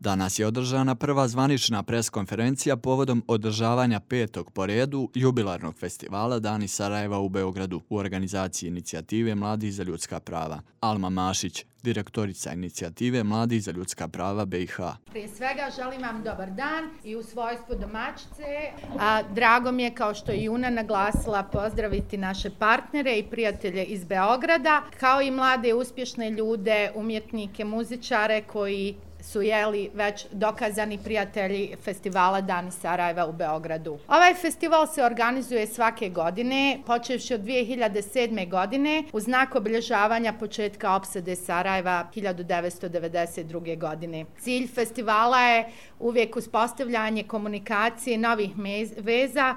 Danas je održana prva zvanična preskonferencija povodom održavanja 5. po redu jubilarnog festivala Dani Sarajeva u Beogradu u organizaciji Inicijative Mladih za ljudska prava. Alma Mašić, direktorica Inicijative Mladih za ljudska prava BiH. Prije svega želim vam dobar dan i u svojstvu domaćice. Drago mi je, kao što je i Una naglasila, pozdraviti naše partnere i prijatelje iz Beograda, kao i mlade uspješne ljude, umjetnike, muzičare koji su već dokazani prijatelji festivala Dani Sarajeva u Beogradu. Ovaj festival se organizuje svake godine, počevši od 2007. godine, u znak obilježavanja početka opsade Sarajeva 1992. godine. Cilj festivala je uvijek uspostavljanje komunikacije novih veza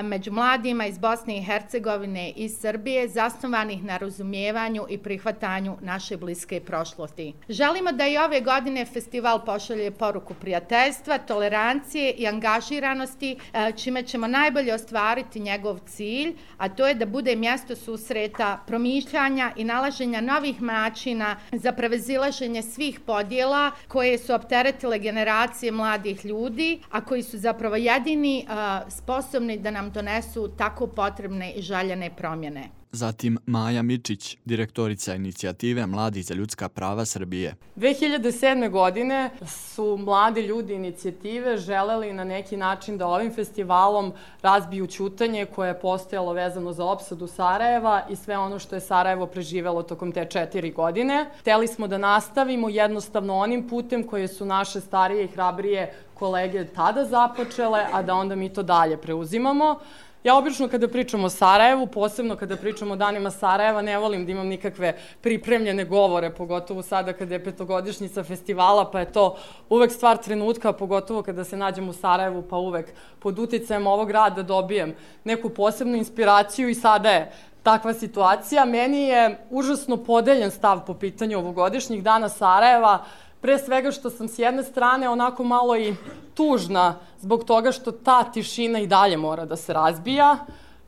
među mladima iz Bosne i Hercegovine i Srbije, zasnovanih na razumijevanju i prihvatanju naše bliske prošlosti. Želimo da i ove godine festival pošalje poruku prijateljstva, tolerancije i angažiranosti, čime ćemo najbolje ostvariti njegov cilj, a to je da bude mjesto susreta, promišljanja i nalaženja novih načina za prevazilaženje svih podjela koje su opteretile generacije mladih ljudi, a koji su zapravo jedini sposobni da nam donesu tako potrebne i željene promjene. Zatim Maja Mičić, direktorica Inicijative Mladih za ljudska prava Srbije. 2007. godine su mladi ljudi inicijative želeli na neki način da ovim festivalom razbiju ćutanje koje je postojalo vezano za opsadu Sarajeva i sve ono što je Sarajevo preživelo tokom te 4 godine. Hteli smo da nastavimo jednostavno onim putem koje su naše starije i hrabrije kolege tada započele, a da onda mi to dalje preuzimamo. Ja obično kada pričam o Sarajevu, posebno kada pričam o danima Sarajeva, ne volim da imam nikakve pripremljene govore, pogotovo sada kada je 5-godišnjica festivala, pa je to uvek stvar trenutka, pogotovo kada se nađem u Sarajevu, pa uvek pod uticajem ovog rada dobijem neku posebnu inspiraciju i sada je takva situacija. Meni je užasno podeljen stav po pitanju ovogodišnjih dana Sarajeva, pre svega što sam s jedne strane onako malo i tužna zbog toga što ta tišina i dalje mora da se razbija,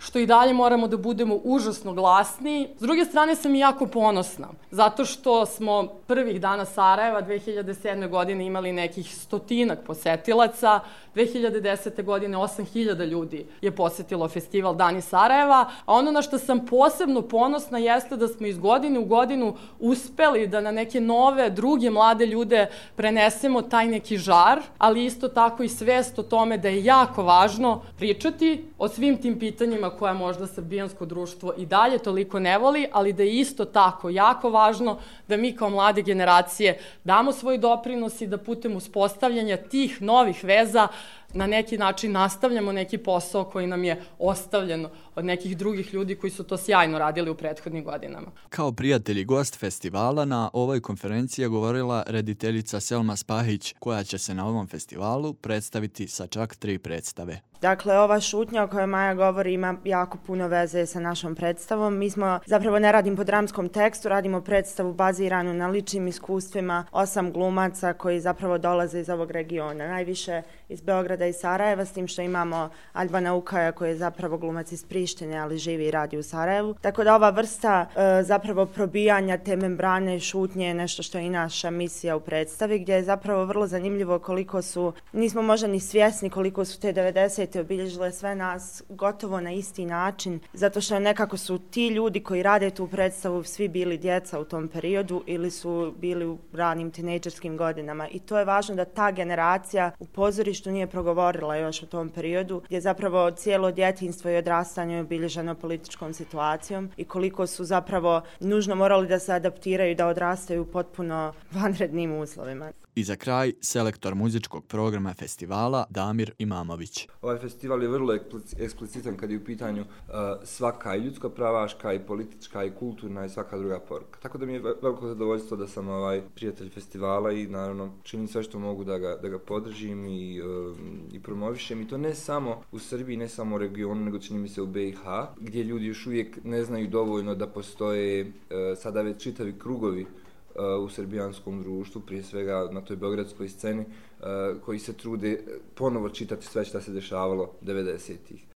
što i dalje moramo da budemo užasno glasni. S druge strane sam i jako ponosna, zato što smo prvih dana Sarajeva 2007. godine imali nekih 100-ak posetilaca, 2010. godine 8.000 ljudi je posetilo festival Dani Sarajeva, a ono na što sam posebno ponosna jeste da smo iz godine u godinu uspeli da na neke nove, druge mlade ljude prenesemo taj neki žar, ali isto tako i svest o tome da je jako važno pričati o svim tim pitanjima koja možda srbijansko društvo i dalje toliko ne voli, ali da je isto tako jako važno da mi kao mlade generacije damo svoj doprinos i da putem uspostavljanja tih novih veza na neki način nastavljamo neki posao koji nam je ostavljen od nekih drugih ljudi koji su to sjajno radili u prethodnim godinama. Kao prijatelj i gost festivala na ovoj konferenciji je govorila rediteljica Selma Spahić, koja će se na ovom festivalu predstaviti sa čak 3 predstave. Dakle, ova šutnja o kojoj Maja govori ima jako puno veze sa našom predstavom. Mi smo, zapravo ne radim po dramskom tekstu, radimo predstavu baziranu na ličnim iskustvima 8 glumaca koji zapravo dolaze iz ovog regiona. Najviše iz Beograda i Sarajeva, s tim što imamo Albana Ukaja koji je zapravo glumac iz Prištine, ali živi i radi u Sarajevu. Tako da ova vrsta zapravo probijanja te membrane šutnje je nešto što je i naša misija u predstavi, gdje je zapravo vrlo zanimljivo koliko su, nismo možda ni svjesni koliko su te 90 obilježile sve nas gotovo na isti način, zato što nekako su ti ljudi koji rade tu predstavu svi bili djeca u tom periodu ili su bili u ranim tinejdžerskim godinama i to je važno da ta generacija u pozorištu nije progovorila još u tom periodu, gdje zapravo cijelo djetinjstvo i odrastanje je obilježeno političkom situacijom i koliko su zapravo nužno morali da se adaptiraju, da odrastaju u potpuno vanrednim uslovima. I za kraj, selektor muzičkog programa festivala Damir Imamović. Ovaj festival je vrlo eksplicitan kad je u pitanju svaka i ljudska pravaška i politička i kulturna i svaka druga poruka. Tako da mi je veliko zadovoljstvo da sam prijatelj festivala i naravno činim sve što mogu da ga podržim i promovišem. I to ne samo u Srbiji, ne samo u regionu, nego čini mi se u BiH, gdje ljudi još uvijek ne znaju dovoljno da postoje sada već čitavi krugovi u srbijanskom društvu, prije svega na toj beogradskoj sceni, koji se trude ponovo čitati sve što se dešavalo 90-ih.